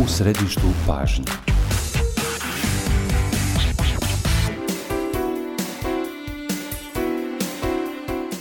U središtu pažnje.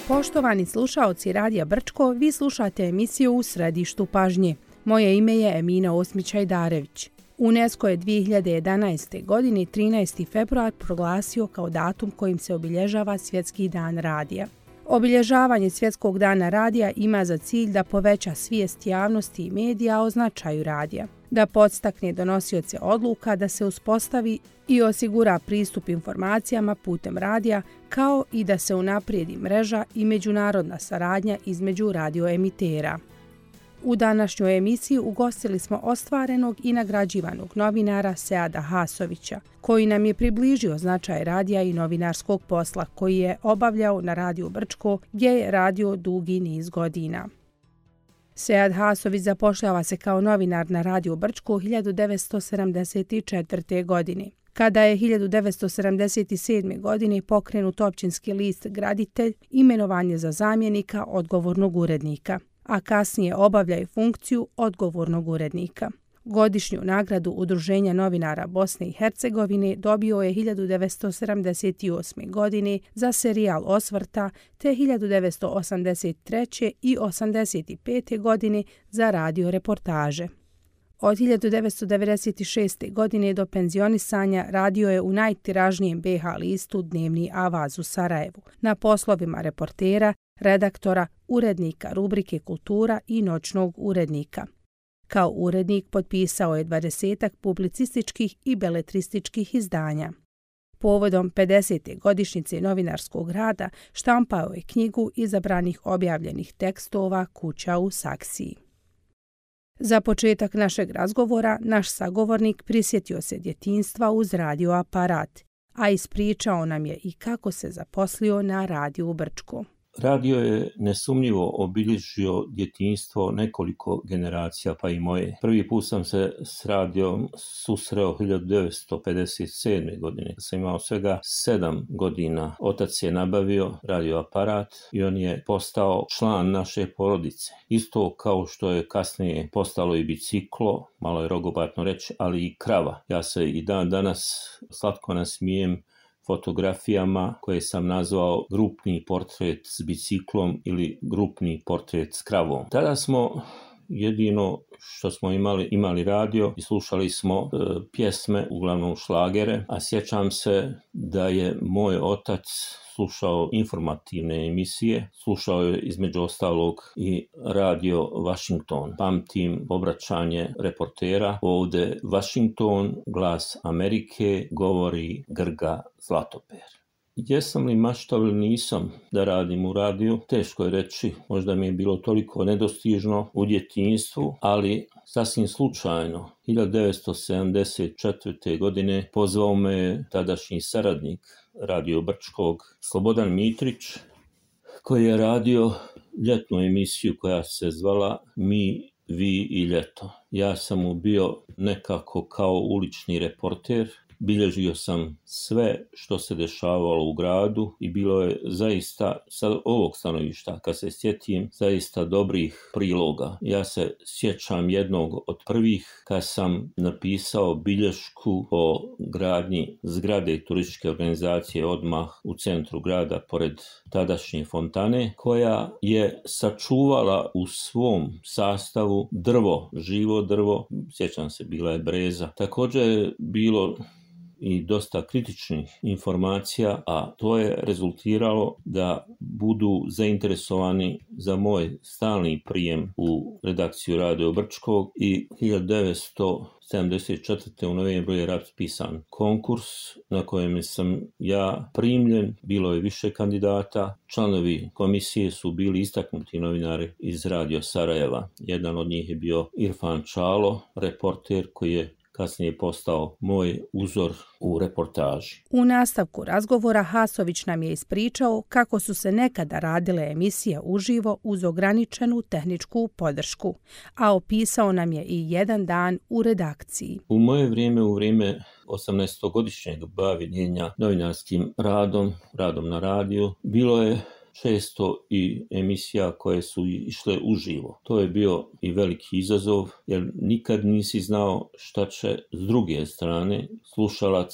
Poštovani slušaoci Radija Brčko, vi slušate emisiju U središtu pažnje. Moje ime je Emina Osmić-Ajdarević. UNESCO je 2011. godine 13. februar proglasio kao datum kojim se obilježava Svjetski dan radija. Obilježavanje Svjetskog dana radija ima za cilj da poveća svijest javnosti i medija o značaju radija, da podstakne donosioce odluka da se uspostavi i osigura pristup informacijama putem radija, kao i da se unaprijedi mreža i međunarodna saradnja između radioemitera. U današnjoj emisiji ugostili smo ostvarenog i nagrađivanog novinara Seada Hasovića, koji nam je približio značaj radija i novinarskog posla koji je obavljao na Radiju Brčko, gdje je radio dugi niz godina. Sead Hasović zapošljava se kao novinar na Radiju Brčko 1974. godine. Kada je 1977. godine pokrenut općinski list Graditelj, imenovan je za zamjenika odgovornog urednika, a kasnije obavlja i funkciju odgovornog urednika. Godišnju nagradu Udruženja novinara Bosne i Hercegovine dobio je 1978. godine za serijal Osvrta, te 1983. i 1985. godine za radio reportaže. Od 1996. godine do penzionisanja radio je u najtiražnijem BH listu Dnevni Avaz u Sarajevu, na poslovima reportera, redaktora, urednika rubrike Kultura i noćnog urednika. Kao urednik potpisao je 20 publicističkih i beletrističkih izdanja. Povodom 50. godišnjice novinarskog rada štampao je knjigu izabranih objavljenih tekstova Kuća u Saksiji. Za početak našeg razgovora, naš sagovornik prisjetio se djetinjstva uz radio aparat, a ispričao nam je i kako se zaposlio na Radiju Brčko. Radio je nesumnjivo obilježio djetinjstvo nekoliko generacija, pa i moje. Prvi put sam se s radijom susreo 1957. godine. Kad sam imao svega 7 godina. Otac je nabavio radioaparat i on je postao član naše porodice. Isto kao što je kasnije postalo i biciklo, malo je rogobatno reći, ali i krava. Ja se i dan danas slatko nasmijem fotografijama koje sam nazvao grupni portret s biciklom ili grupni portret s kravom. Tada smo jedino što smo imali radio i slušali smo pjesme, uglavnom šlagere, a sjećam se da je moj otac slušao informativne emisije, slušao je između ostalog i radio Washington. Pamtim obraćanje reportera, ovdje Washington, glas Amerike, govori Grga Zlatoper. Jesam li maštao ili nisam da radim u radiju, teško je reći, možda mi je bilo toliko nedostižno u djetinjstvu, ali sasvim slučajno 1974. godine pozvao me tadašnji saradnik Radio Brčkog Slobodan Mitrić, koji je radio ljetnu emisiju koja se zvala Mi, vi i ljeto. Ja sam mu bio nekako kao ulični reporter. Bilježio sam sve što se dešavalo u gradu i bilo je zaista, sa ovog stanovišta, kad se sjetim, zaista dobrih priloga. Ja se sjećam jednog od prvih kad sam napisao bilješku o gradnji zgrade turističke organizacije odmah u centru grada pored tadašnje fontane, koja je sačuvala u svom sastavu drvo, živo drvo, sjećam se, bila je breza. Također je bilo i dosta kritičnih informacija, a to je rezultiralo da budu zainteresovani za moj stalni prijem u redakciju Radio Brčkog i 1974. u novembru je raspisan konkurs na kojem sam ja primljen. Bilo je više kandidata. Članovi komisije su bili istaknuti novinari iz Radio Sarajeva. Jedan od njih je bio Irfan Čalo, reporter koji je kasnije postao moj uzor u reportaži. U nastavku razgovora Hasović nam je ispričao kako su se nekada radile emisije uživo uz ograničenu tehničku podršku, a opisao nam je i jedan dan u redakciji. U moje vrijeme, u vrijeme 18-godišnjeg bavljenja novinarskim radom na radiju, bilo je često i emisija koje su išle uživo. To je bio i veliki izazov, jer nikad nisi znao šta će s druge strane slušalac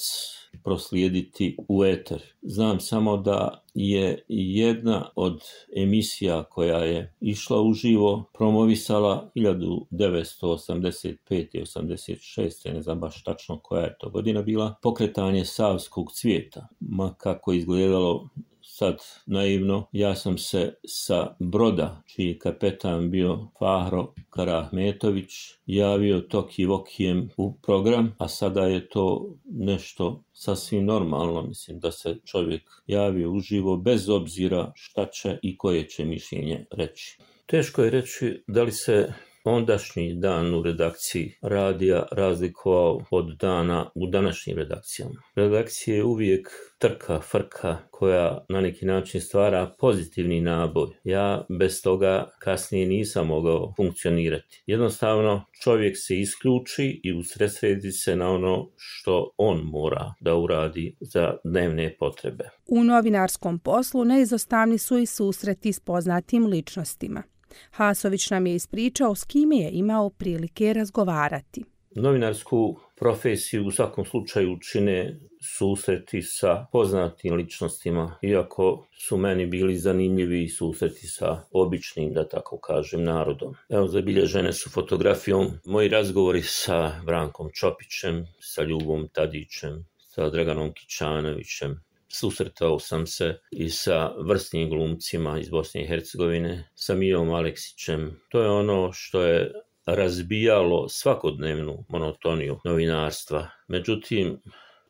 proslijediti u eter. Znam samo da je jedna od emisija koja je išla uživo promovisala 1985. i 86. ne znam baš tačno koja je to godina bila, pokretanje Savskog cvijeta. Ma kako izgledalo sad naivno, ja sam se sa broda, čiji je kapetan bio Fahro Karahmetović, javio toki vokijem u program, a sada je to nešto sasvim normalno. Mislim da se čovjek javio uživo bez obzira šta će i koje će mišljenje reći. Teško je reći da li se ondašnji dan u redakciji radija razlikovao od dana u današnjim redakcijama. Redakcija je uvijek trka, frka koja na neki način stvara pozitivni naboj. Ja bez toga kasnije nisam mogao funkcionirati. Jednostavno čovjek se isključi i usredsredi se na ono što on mora da uradi za dnevne potrebe. U novinarskom poslu neizostavni su i susreti s poznatim ličnostima. Hasović nam je ispričao s kime je imao prilike razgovarati. Novinarsku profesiju u svakom slučaju čine susreti sa poznatim ličnostima, iako su meni bili zanimljivi susreti sa običnim, da tako kažem, narodom. Evo, zabilježene su fotografijom moji razgovori sa Brankom Čopićem, sa Ljubom Tadićem, sa Draganom Kićanovićem. Susretao sam se i sa vrsnim glumcima iz Bosne i Hercegovine, sa Mijom Aleksićem. To je ono što je razbijalo svakodnevnu monotoniju novinarstva. Međutim,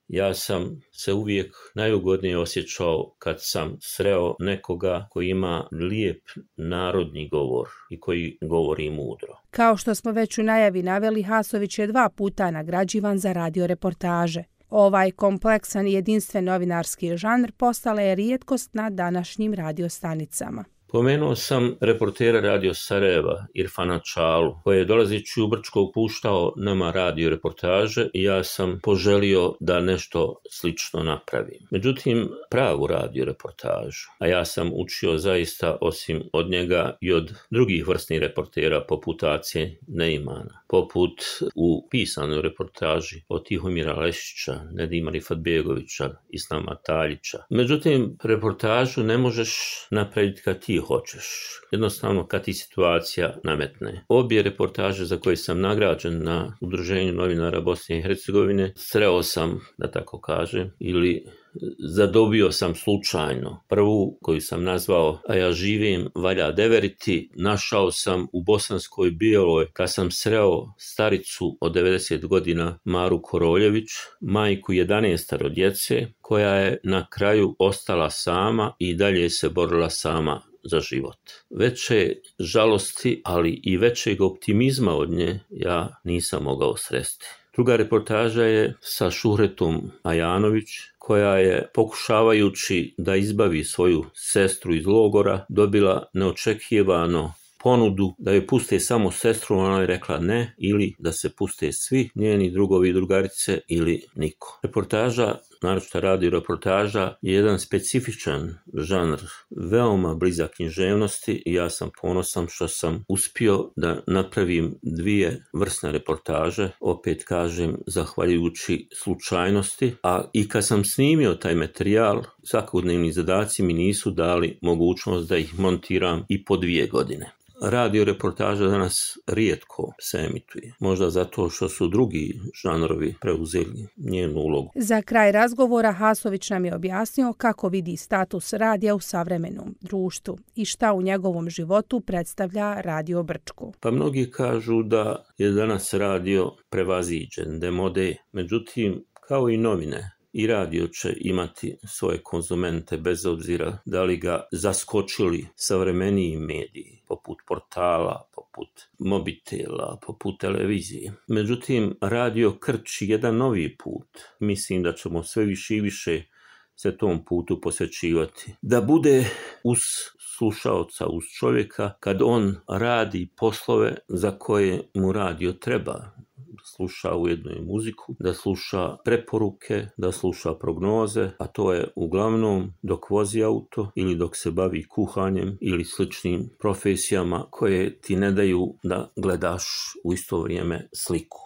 ja sam se uvijek najugodnije osjećao kad sam sreo nekoga koji ima lijep narodni govor i koji govori mudro. Kao što smo već u najavi naveli, Hasović je 2 puta nagrađivan za radio reportaže. Ovaj kompleksan i jedinstven novinarski žanr postala je rijetkost na današnjim radiostanicama. Pomenuo sam reportera Radio Sarajeva, Irfana Čalu, koji je dolazeći u Brčko upuštao nama radio reportaže i ja sam poželio da nešto slično napravim. Međutim, pravu radio reportažu, a ja sam učio zaista osim od njega i od drugih vrstnih reportera poput Ace Neimana, poput u pisanoj reportaži od Tihomira Lešića, Nedima Rifatbegovića, Islama Taljića. Međutim, reportažu ne možeš napraviti kad ti hoćeš. Jednostavno kad ti situacija nametne. Obje reportaže za koje sam nagrađen na Udruženju novinara Bosne i Hercegovine sreo sam, da tako kažem, ili zadobio sam slučajno. Prvu koju sam nazvao A ja živim, valja deveriti, našao sam u Bosanskoj Bijeloj kad sam sreo staricu od 90 godina Maru Koroljević, majku 11 djece, koja je na kraju ostala sama i dalje se borila sama za život. Veće žalosti, ali i većeg optimizma od nje ja nisam mogao sresti. Druga reportaža je sa Šuhretom Ajanović, koja je, pokušavajući da izbavi svoju sestru iz logora, dobila neočekivano ponudu da joj puste samo sestru, ona je rekla ne, ili da se puste svi njeni drugovi i drugarice ili niko. Reportaža, naročito radio reportaža, je jedan specifičan žanr, veoma blizak književnosti i ja sam ponosan što sam uspio da napravim 2 vrsne reportaže, opet kažem zahvaljujući slučajnosti, a i kad sam snimio taj materijal, svakodnevni zadaci mi nisu dali mogućnost da ih montiram i po 2 godine. Radio reportaža danas rijetko se emituje, možda zato što su drugi žanrovi preuzeli njenu ulogu. Za kraj razgovora Hasović nam je objasnio kako vidi status radija u savremenom društvu i šta u njegovom životu predstavlja Radio Brčko. Pa mnogi kažu da je danas radio prevaziđen, demode, međutim kao i novine, i radio će imati svoje konzumente bez obzira da li ga zaskočili savremeniji mediji, poput portala, poput mobitela, poput televizije. Međutim, radio krči jedan novi put. Mislim da ćemo sve više i više se tom putu posvećivati. Da bude uz slušaoca, uz čovjeka, kad on radi poslove za koje mu radio treba. sluša ujedno i muziku, da sluša preporuke, da sluša prognoze, a to je uglavnom dok vozi auto ili dok se bavi kuhanjem ili sličnim profesijama koje ti ne daju da gledaš u isto vrijeme sliku.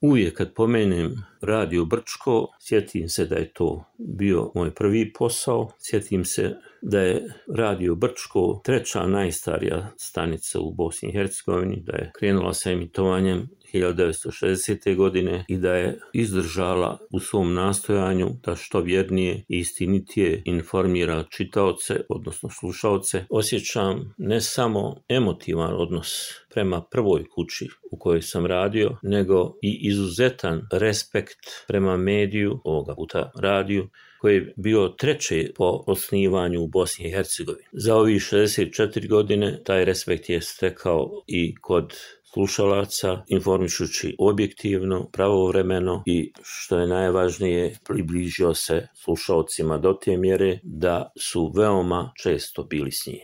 Uvijek kad pomenem Radio Brčko, sjetim se da je to bio moj prvi posao, sjetim se da je Radio Brčko treća najstarija stanica u Bosni i Hercegovini, da je krenula sa emitovanjem 1960. godine i da je izdržala u svom nastojanju da što vjernije i istinitije informira čitaoce, odnosno slušaoce. Osjećam ne samo emotivan odnos prema prvoj kući u kojoj sam radio, nego i izuzetan respekt prema mediju, ovoga puta radiju, koji je bio treći po osnivanju u Bosni i Hercegovini. Za ovih 64 godine taj respekt je stekao i kod slušalaca, informišući objektivno, pravovremeno i, što je najvažnije, približio se slušalcima do te mjere da su veoma često bili s njim.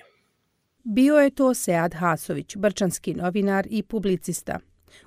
Bio je to Sead Hasović, brčanski novinar i publicista.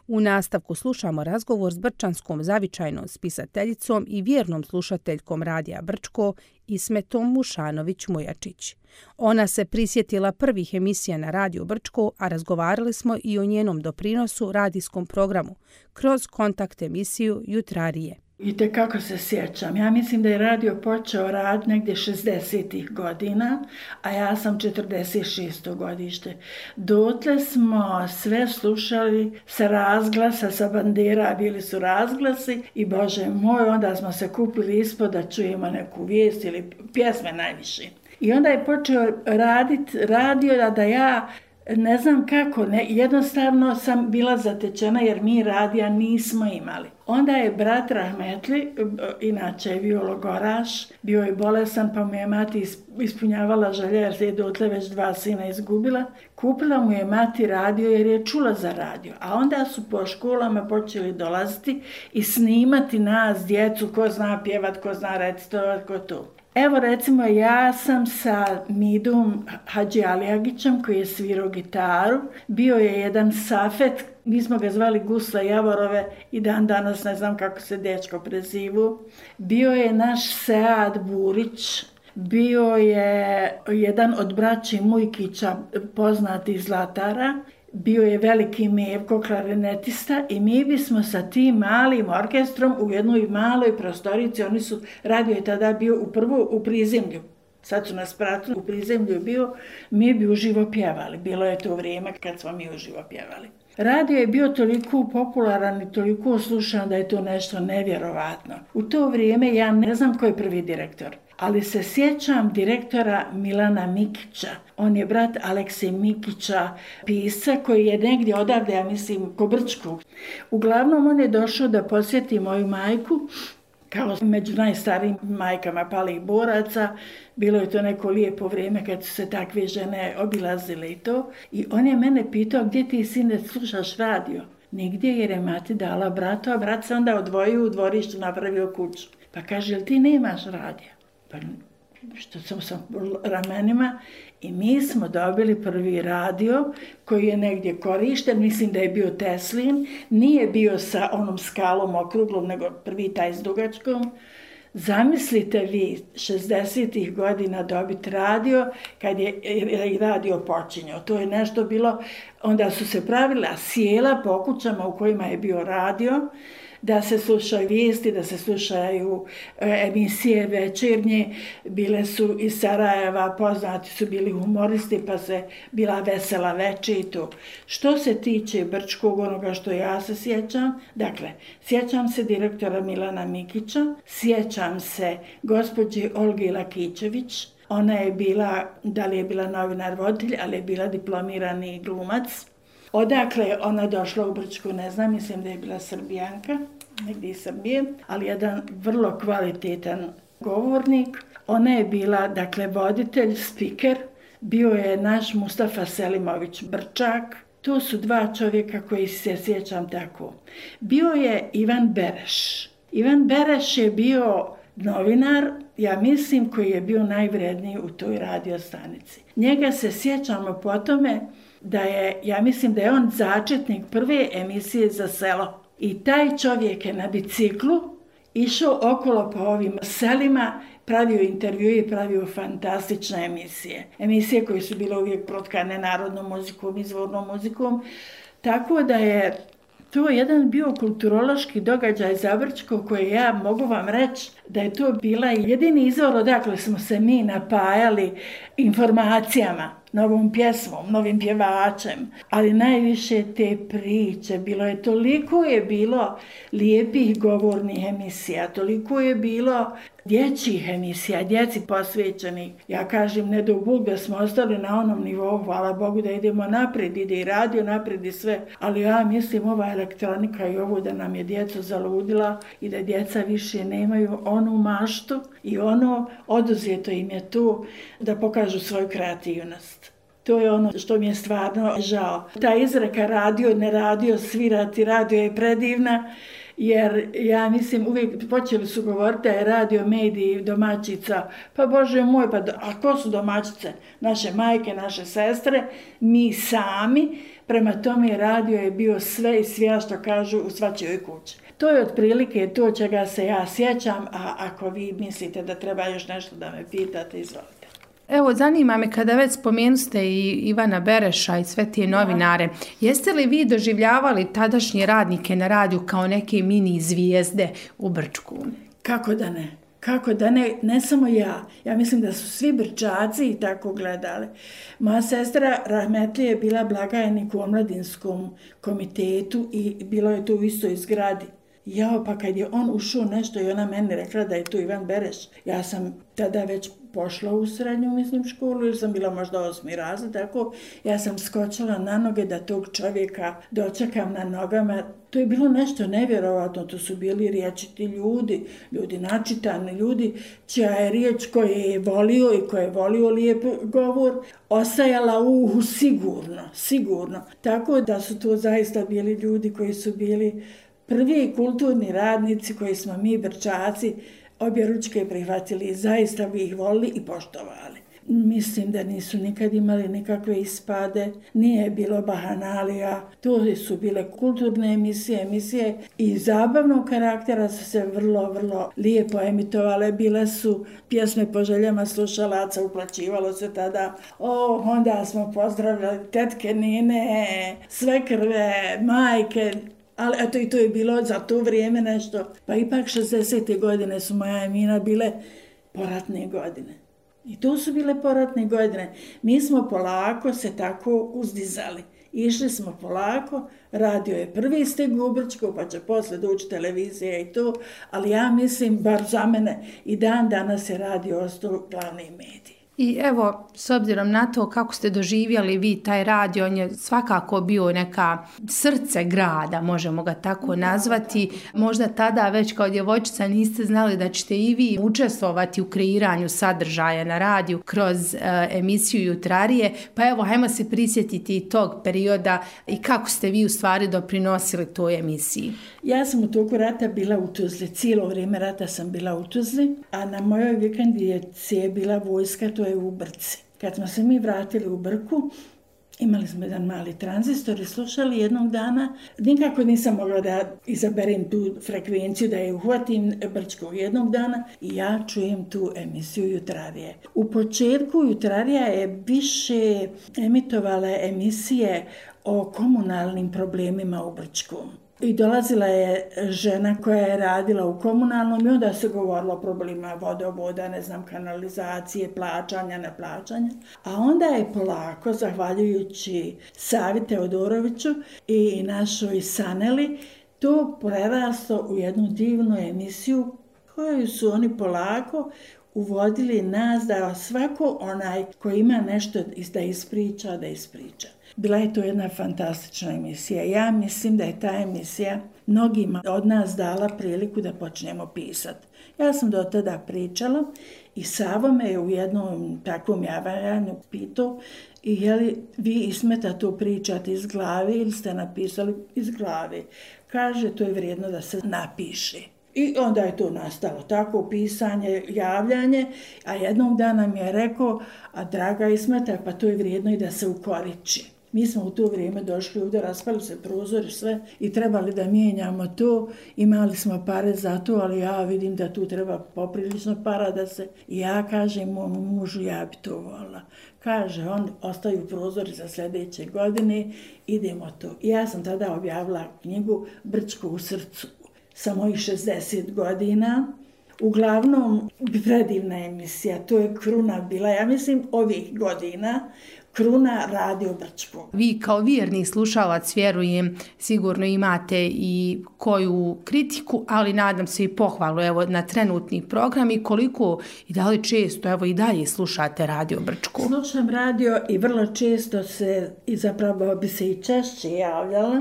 U nastavku slušamo razgovor s brčanskom zavičajnom spisateljicom i vjernom slušateljkom Radija Brčko Ismetom Mušanović-Mujačić. Ona se prisjetila prvih emisija na Radiju Brčko, a razgovarali smo i o njenom doprinosu radijskom programu kroz kontakt emisiju Jutrarije. I tekako se sjećam. Ja mislim da je radio počeo rad negdje 60-ih godina, a ja sam 46. godište. Dotle smo sve slušali sa razglasa, sa bandera, bili su razglasi i Bože moj, onda smo se kupili ispod da čujemo neku vijest ili pjesme najviše. I onda je počeo raditi radio da ja ne znam kako, jednostavno sam bila zatečena jer mi radija nismo imali. Onda je brat Rahmetli, inače je viologoraš, bio je bolesan pa mu je mati ispunjavala želje jer se je dotle već 2 sina izgubila. Kupila mu je mati radio jer je čula za radio, a onda su po školama počeli dolaziti i snimati nas, djecu, ko zna pjevat, ko zna recitovat, ko to. Evo recimo ja sam sa Midom Hadži Alijagićem koji je svirao gitaru, bio je jedan Safet, mi smo ga zvali Gusla Javorove i dan danas ne znam kako se dečko prezivu. Bio je naš Sead Burić, bio je jedan od braći Mujkića poznati Zlatara, bio je veliki Mevko, klarinetista i mi bismo sa tim malim orkestrom u jednoj maloj prostorici, radio je tada bio u prizemlju, sad su nas pratili, u prizemlju je bio, mi bi uživo pjevali, bilo je to vrijeme kad smo mi uživo pjevali. Radio je bio toliko popularan i toliko slušan da je to nešto nevjerovatno. U to vrijeme ja ne znam ko je prvi direktor, ali se sjećam direktora Milana Mikića. On je brat Aleksej Mikića, pisca koji je negdje odavde, ja mislim, ko Brčkog. Uglavnom on je došao da posjeti moju majku, kao među najstarijim majkama palih boraca. Bilo je to neko lijepo vrijeme kad su se takve žene obilazile i to. I on je mene pitao, gdje ti sine slušaš radio? Nigdje, jer je mati dala bratu, a brat se onda odvojio u dvorištu, napravio kuću. Pa kaže, jel ti nemaš radija? Pa što sam sa ramenima i mi smo dobili prvi radio koji je negdje korišten, mislim da je bio Teslin, nije bio sa onom skalom okruglom, nego prvi taj s dugačkom. Zamislite vi 60-ih godina dobiti radio kad je radio počinjao. To je nešto bilo, onda su se pravila sjela po kućama u kojima je bio radio, da se slušaju vijesti, da se slušaju emisije večernje. Bile su iz Sarajeva, poznati su bili humoristi, pa se bila vesela večer i to. Što se tiče Brčkog, onoga što ja se sjećam, dakle, sjećam se direktora Milana Mikića, sjećam se gospođe Olge Lakićević, ona je bila, da li je bila novinar voditelj, ali je bila diplomirani glumac. Odakle je ona došla u Brčku, ne znam, mislim da je bila Srbijanka, negdje iz Srbije, ali jedan vrlo kvalitetan govornik. Ona je bila, dakle, voditelj, spiker, bio je naš Mustafa Selimović Brčak. To su 2 čovjeka koji se sjećam tako. Bio je Ivan Bereš. Ivan Bereš je bio novinar, ja mislim, koji je bio najvredniji u toj radiostanici. Njega se sjećamo po tome da je, ja mislim da je on začetnik prve emisije za selo. I taj čovjek je na biciklu išao okolo po ovim selima, pravio intervjue i pravio fantastične emisije. Emisije koje su bile uvijek protkane narodnom muzikom, izvornom muzikom. Tako da je to jedan bio kulturološki događaj za Brčko koji ja mogu vam reći da je to bila jedini izvor odakle smo se mi napajali informacijama, novom pjesmom, novim pjevačem, ali najviše te priče. Toliko je bilo lijepih govornih emisija, toliko je bilo dječjih emisija, djeci posvećenih. Ja kažem, ne do Bog da smo ostali na onom nivou, hvala Bogu da idemo naprijed, ide i radio naprijed i sve, ali ja mislim ova elektronika i ovo da nam je djeca zaludila i da djeca više nemaju onu maštu i ono oduzeto im je tu da pokažu svoju kreativnost. To je ono što mi je stvarno žao. Ta izreka radio, ne radio, svirati, radio je predivna, jer ja mislim uvijek počeli su govoriti da je radio mediji domaćica. Pa Bože moj, a ko su domaćice? Naše majke, naše sestre, mi sami. Prema tome radio je bio sve i sve što kažu u svačijoj kući. To je otprilike to čega se ja sjećam, a ako vi mislite da treba još nešto da me pitate, izvolite. Evo, zanima me kada već spomenuste i Ivana Bereša i sve te novinare, jeste li vi doživljavali tadašnje radnike na radiju kao neke mini zvijezde u Brčku? Kako da ne? Kako da ne, ne samo ja. Ja mislim da su svi Brčaci i tako gledali. Moja sestra rahmetli je bila blagajnik u omladinskom komitetu i bilo je to u istoj zgradi. Jao, pa kad je on ušao nešto i ona meni rekla da je to Ivan Bereš. Ja sam tada već pošla u srednju, školu, jer sam bila možda 8. razred, tako ja sam skočila na noge da tog čovjeka dočekam na nogama. To je bilo nešto nevjerovatno, to su bili riječiti ljudi načitani, ljudi čija je riječ koje je volio i koje je volio lijep govor, ostajala u uhu sigurno. Tako da su to zaista bili ljudi koji su bili prvi kulturni radnici koji smo mi Brčaci objeručke prihvatili i zaista bi ih volili i poštovali. Mislim da nisu nikad imali nikakve ispade, nije bilo bahanalija, to su bile kulturne emisije i zabavnog karaktera su se vrlo lijepo emitovale. Bile su pjesme po željama slušalaca, uplaćivalo se tada. Onda smo pozdravljali tetke, nine, svekrve, majke. Ali eto i to je bilo za to vrijeme nešto. Pa ipak 60. godine su moja Emina bile poratne godine. I to su bile poratne godine. Mi smo polako se tako uzdizali. Išli smo polako, radio je prvi steg u Brčko, pa će posle doći televizija i to, ali ja mislim, bar za mene, i dan danas je radio ostao glavni medij. I evo, s obzirom na to kako ste doživjeli vi taj radio, on je svakako bio neka srce grada, možemo ga tako nazvati. Možda tada već kao djevojčica niste znali da ćete i vi učestvovati u kreiranju sadržaja na radiju kroz emisiju Jutrarije. Pa evo, hajmo se prisjetiti tog perioda i kako ste vi u stvari doprinosili toj emisiji. Ja sam u toku rata bila u Tuzli, cijelo vrijeme rata sam bila u Tuzli, a na mojoj vikendici je bila vojska, to je u Brci. Kad smo se mi vratili u Brku, imali smo jedan mali tranzistor i slušali jednog dana. Nikako nisam mogla da izaberem tu frekvenciju, da je uhvatim Brčkog jednog dana i ja čujem tu emisiju Jutrarije. U početku Jutrarija je više emitovala emisije o komunalnim problemima u Brčkom. I dolazila je žena koja je radila u komunalnom i onda se govorilo o problemima vodovoda, kanalizacije, plaćanja, neplaćanja. A onda je polako, zahvaljujući Savi Teodoroviću i našoj Saneli, to prerasto u jednu divnu emisiju koju su oni polako uvodili nas da svako onaj koji ima nešto da ispriča. Bila je to jedna fantastična emisija. Ja mislim da je ta emisija mnogima od nas dala priliku da počnemo pisati. Ja sam do tada pričala i Savo me je u jednom takvom javljanju pitao i je li vi Ismeta to pričate iz glave ili ste napisali iz glave. Kaže, to je vrijedno da se napiše. I onda je to nastalo tako pisanje, javljanje, a jednog dana mi je rekao, a draga Ismeta, pa to je vrijedno i da se ukoriči. Mi smo u to vrijeme došli ovdje, raspali se prozori sve i trebali da mijenjamo to. Imali smo pare za to, ali ja vidim da tu treba poprilično para da se... I ja kažem mom mužu, ja bi to volila. Kaže, on ostaju prozori za sljedeće godine, idemo to. I ja sam tada objavila knjigu Brčko u srcu sa mojih 60 godina. Uglavnom, predivna emisija, to je kruna bila, ja mislim, ovih godina, kruna Radio Brčko. Vi kao vjerni slušalac, vjerujem, sigurno imate i koju kritiku, ali nadam se i pohvalu evo, na trenutni program i koliko i da li često evo, i dalje slušate Radio Brčko. Slušam radio i vrlo često se, i zapravo bi se i češće javljala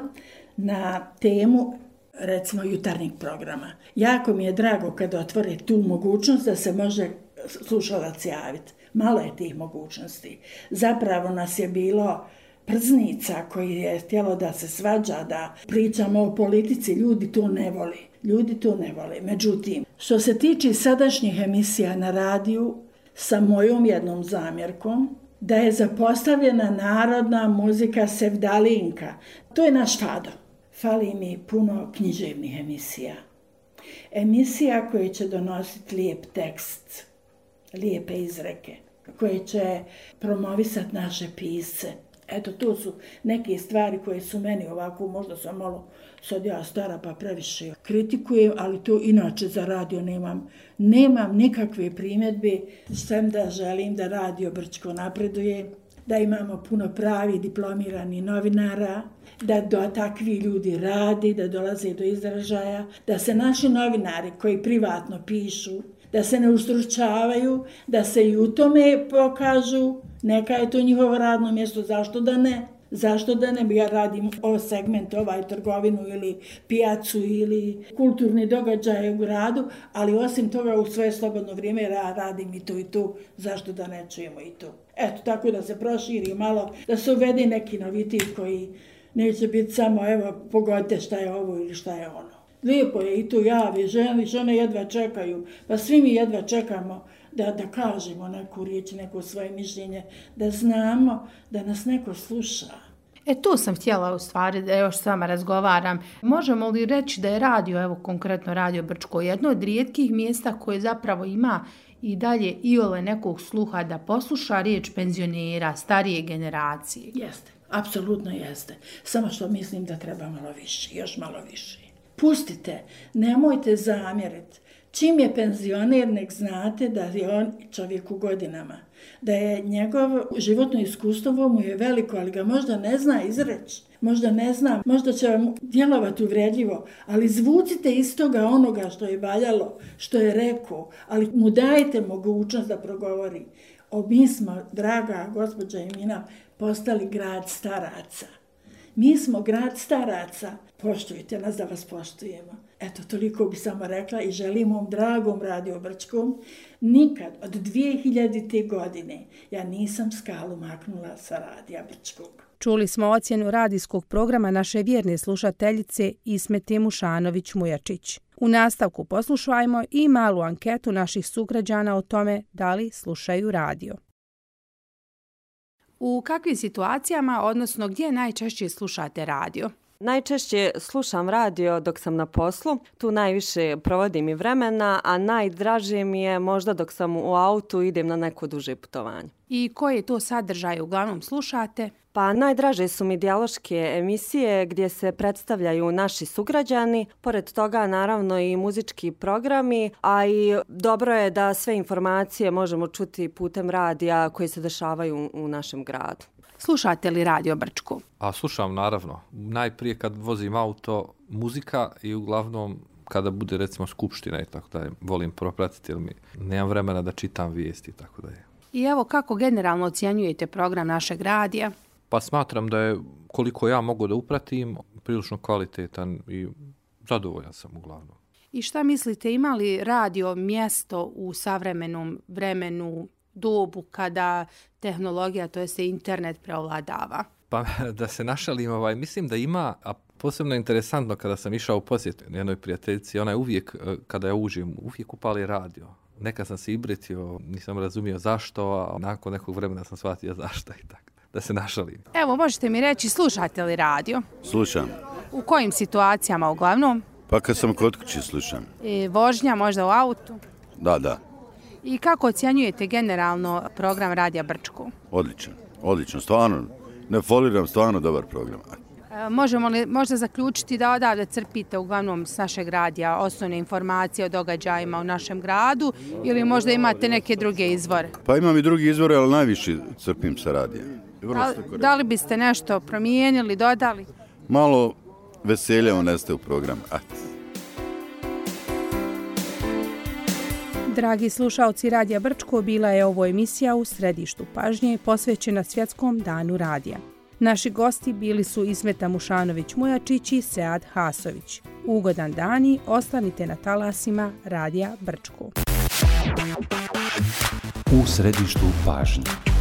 na temu recimo jutarnjeg programa. Jako mi je drago kad otvore tu mogućnost da se može slušalac javiti. Malo je tih mogućnosti. Zapravo nas je bilo prznica koji je htjelo da se svađa, da pričamo o politici, ljudi to ne voli. Ljudi to ne vole. Međutim, što se tiče sadašnjih emisija na radiju, sa mojom jednom zamjerkom, da je zapostavljena narodna muzika sevdalinka. To je naš fado. Fali mi puno književnih emisija. Emisija koje će donositi lijep tekst, lijepe izreke, koje će promovisati naše pisce. Eto, to su neke stvari koje su meni ovako, možda sam malo sad ja stara pa previše kritikujem, ali to inače za radio nemam nikakve primjedbe. Sem da želim da Radio Brčko napreduje, da imamo puno pravi diplomirani novinara, da takvi ljudi radi, da dolaze do izražaja, da se naši novinari koji privatno pišu, da se ne ustručavaju, da se i u tome pokažu, neka je to njihovo radno mjesto, zašto da ne? Zašto da ne? Ja radim ovaj segment, trgovinu ili pijacu ili kulturni događaje u gradu, ali osim toga u svoje slobodno vrijeme radim i to, zašto da ne čujemo i to. Eto, tako da se proširi malo, da se uvede neki novitet koji neće biti samo, evo, pogodite šta je ovo ili šta je ono. Lijepo je i to javi, žene jedva čekaju, pa svi mi jedva čekamo da kažemo neku riječ, neko svoje mišljenje, da znamo da nas neko sluša. To sam htjela u stvari da još s vama razgovaram. Možemo li reći da je radio, evo konkretno Radio Brčko, jedno od rijetkih mjesta koje zapravo ima i dalje iole nekog sluha da posluša riječ penzionera, starije generacije? Jeste, apsolutno jeste. Samo što mislim da treba malo više, još malo više. Pustite, nemojte zamjeriti. Čim je penzioner, nek znate da je on čovjek u godinama. Da je njegovo životno iskustvo mu je veliko, ali ga možda ne zna izreći. Možda ne zna, možda će vam djelovati uvredljivo, ali zvucite iz toga onoga što je valjalo, što je rekao, ali mu dajte mogućnost da progovori. Mi smo, draga gospođa Emina, postali grad staraca. Mi smo grad staraca. Poštujte nas da vas poštujemo. Eto, toliko bi samo rekla i želim ovom dragom Radio Brčkom. Nikad od 2000. godine ja nisam skalu maknula sa Radija Brčkog. Čuli smo ocjenu radijskog programa naše vjerne slušateljice Ismete Mušanović-Mujačić. U nastavku poslušajmo i malu anketu naših sugrađana o tome da li slušaju radio. U kakvim situacijama, odnosno gdje najčešće slušate radio? Najčešće slušam radio dok sam na poslu, tu najviše provodim i vremena, a najdraže mi je možda dok sam u autu i idem na neko duže putovanje. I koje to sadržaje uglavnom slušate? Pa najdraže su mi dijaloške emisije gdje se predstavljaju naši sugrađani, pored toga naravno i muzički programi, a i dobro je da sve informacije možemo čuti putem radija koji se dešavaju u našem gradu. Slušate li Radio Brčko? Slušam, naravno. Najprije kad vozim auto, muzika i uglavnom kada bude recimo skupština i tako da volim propratiti jer mi nemam vremena da čitam vijesti i tako da je. I evo kako generalno ocjenjujete program našeg radija? Pa smatram da je koliko ja mogu da upratim prilično kvalitetan i zadovoljan sam uglavnom. I šta mislite, ima li radio mjesto u savremenom vremenu, dobu kada tehnologija, to jest internet preovladava? Pa da se našalim, mislim da ima, a posebno interesantno kada sam išao u posjet jednoj prijateljici, ona je uvijek, kada ja uđem, uvijek upali radio. Nekad sam se ibritio, nisam razumio zašto, a nakon nekog vremena sam shvatio zašto i tako. da se našalim. Evo, možete mi reći, slušate li radio? Slušam. U kojim situacijama uglavnom? Pa kad sam kod kuće slušam. Vožnja možda u autu? Da. I kako ocjenjujete generalno program Radija Brčko? Odlično, stvarno. Ne foliram, stvarno dobar program. Možemo li možda zaključiti da odavde crpite uglavnom s našeg radija osnovne informacije o događajima u našem gradu ili možda imate neke druge izvore? Pa imam i drugi izvore, ali najviše crpim sa radija. Da li biste nešto promijenili, dodali? Malo veselja uneste u program. Dragi slušaoci Radija Brčko, bila je ovo emisija u središtu pažnje posvećena Svjetskom danu radija. Naši gosti bili su Ismeta Mušanović-Mujačić i Sead Hasović. Ugodan dan i ostanite na talasima Radija Brčko. U središtu pažnje.